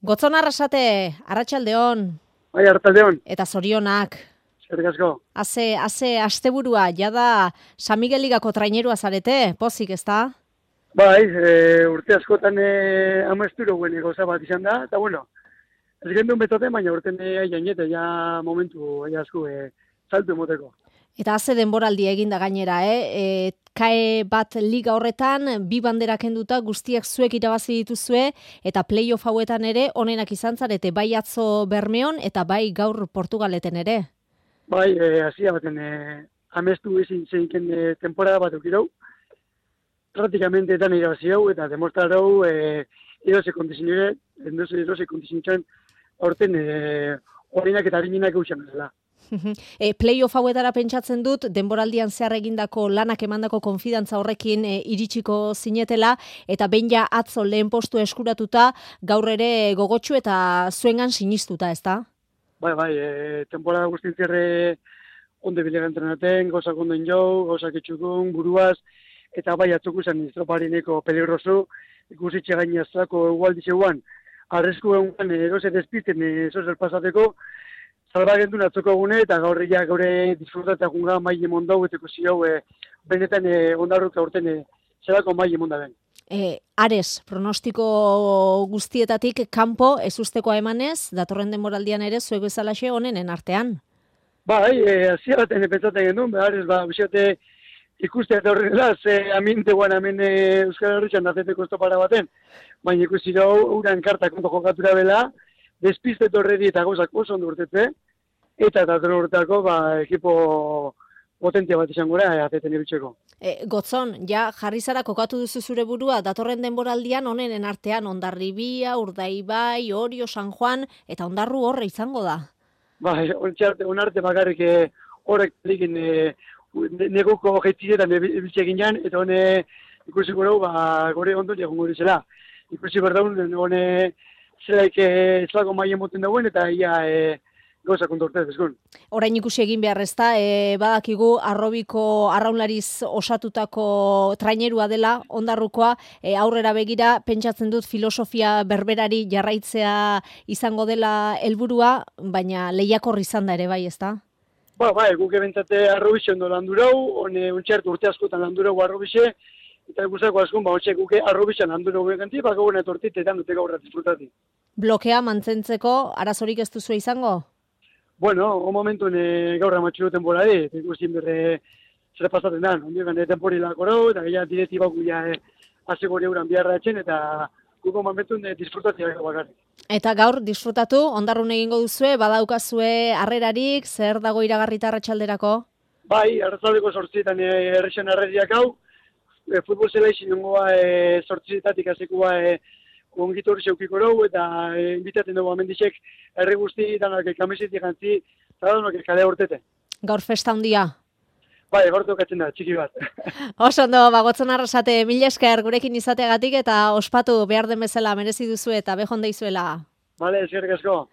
Gotzon Arrasate, Arratsaldeon. Bai, Arratsaldeon. Eta zorionak. Eskerrik asko. Haze asteburua, jada San Miguel Ligako trainerua zarete, pozik, ezta? Bai, urte askotan amesturo guen gauza bat izan da, eta bueno, ez gendun betoten, baina urten jainete, ja momentu, asko saltu emoteko. Eta haze denboraldia eginda gainera, kae bat liga horretan, bi bandera kenduta guztiak zuek irabazi dituzue, eta playoff hauetan ere onenak izan zarete, bai atzo Bermeon eta bai gaur Portugaleten ere. Bai, hasia baten amestu ezin zeiken temporada bat eukirau, praktikamente etan irabazi hau, eta demostrarau erose kondizioen aurten orenak eta harinak eusen dela. Playoff hauetara pentsatzen dut, denboraldian zehar egindako lanak emandako konfidantza horrekin iritsiko zinetela, eta behin ja atzo lehen postu eskuratuta, gaur ere gogotsu eta zuengan sinistuta, ezta? Bai, temporada guztien zerre onde bilega entrenaten, gauzak onden jau, gauzak etxukun, buruaz, eta bai atzuku zen estroparineko peligroso, ikusitxe gainazako egualdizeuan, arresku egun erose despiten ezozer pasateko, salbagendun atzoko egune, eta gaurria gaure disfrutatzea junga maile mondau, eta ikusi hau benetan ondarruka urten zerako maile mondaben. Ares, pronostiko guztietatik kanpo ezustekoa emanez, datorren denboraldian ere zuek bezalaxe onenen artean. Bai, hasia baten pentsatzen genuen, Ares, bizote ikuste eta horrela, aminteguan hemen Euskal Herritxan dazeteko estopara baten, baina ikusi hau, uran kartak ondo jokatura bela, despiste torredi eta gauzak oso ondo urtetze, eta datorren urteako ekipo potentia bat izan gora, azeten ibiltzeko. Gotzon, ja jarri zara kokatu duzu zure burua, datorren denboraldian onenen artean Hondarribia, Urdaibai, Orio, San Juan, eta Hondarru horre izango da. Bai, onarte bakarrik horrek likin neguko jetziretan ibiltze ginean, eta hone ikusi gure gore ondo egon gure zela. Ikusi berdaun, hone zelaik zelako maien moten dagoen, eta ia gauza kontortez, ezkun. Orain ikusi egin behar ezta, badakigu arrobiko arraunlariz osatutako trainerua dela, Hondarrukoa, aurrera begira, pentsatzen dut filosofia berberari jarraitzea izango dela helburua, baina lehiakor izan da ere bai, ezta? Bai, guk ebentzate arrobixe ondo landurau, untxertu urte askotan landurau arrobixe, eta guztako askun, guke arrobixan landurau beganti, gauena etortit, eta dute gaurra disfrutati. Blokea mantzentzeko arazorik ez duzu izango? Bueno, o momentun gaurra matxuro temporari, ikusten berre zer pasatzen da, ondiokan tempori lakorau, eta gehiago direktibak guia azegori euran biharra etxen, eta guko momentun disfrutatzea bakarrik. Eta gaur disfrutatu, Hondarrun egingo duzue, badaukazue harrerarik, zer dago iragarrita arratsalderako? Bai, arratsaldeko 8etan errexen harreriak hau, futbol zelaixin nengoa 8etatik azekua ongitu hori zeukiko rau, eta invitaten dugu amendixek herri guzti, danak kamisetik jantzi, eta danak kale hortete. Gaur festa handia? Bai, gaur tokatzen da, txiki bat. Oso ondo, Gotzon Arrasate, mila esker gurekin izateagatik eta ospatu behar den bezala merezi duzu eta behon deizuela. Bale, eskerrik asko.